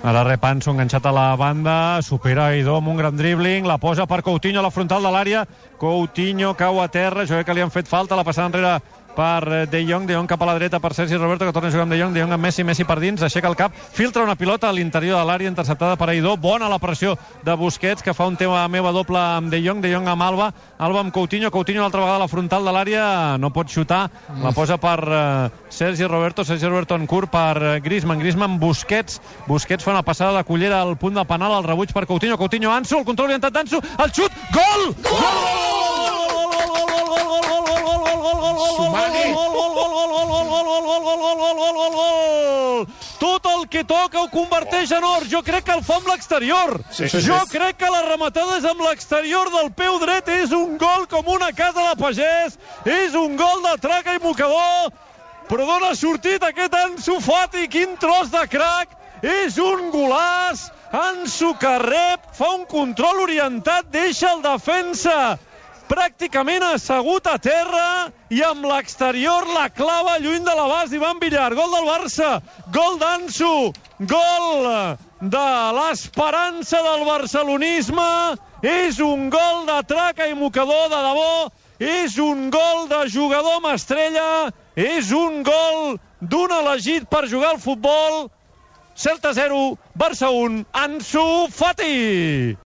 Ara rep Ansu enganxat a la banda, supera Aidó amb un gran dribbling, la posa per Coutinho a la frontal de l'àrea, Coutinho cau a terra, jo crec que li han fet falta, la passada enrere per De Jong cap a la dreta per Sergi Roberto, que torna a jugar amb De Jong amb Messi per dins, aixeca el cap, filtra una pilota a l'interior de l'àrea, interceptada per Aidó, bona la pressió de Busquets, que fa un tema meva doble amb De Jong amb Alba amb Coutinho l'altra vegada a la frontal de l'àrea, no pot xutar, la posa per Sergi Roberto en curt per Griezmann, Busquets fa una passada de cullera al punt de penal, el rebuig per Coutinho, Ansu, el control orientat d'Ansu, el xut, gol! Tot el que toca ho converteix en or. Jo crec que el fa amb l'exterior. Jo crec que la rematada és amb l'exterior del peu dret. És un gol com una casa de pagès. És un gol de traca i mocador. Però d'on ha sortit aquest Ansu Fati? Quin tros de crac. És un golaç. Ansu que rep, fa un control orientat, deixa el defensa pràcticament assegut a terra i amb l'exterior la clava lluny de l'abast d'Ivan Villar. Gol del Barça, gol d'Ansu, gol de l'esperança del barcelonisme. És un gol de traca i mocador de debò, és un gol de jugador amb estrella, és un gol d'un elegit per jugar al futbol. Celta 0, Barça 1, Ansu Fati.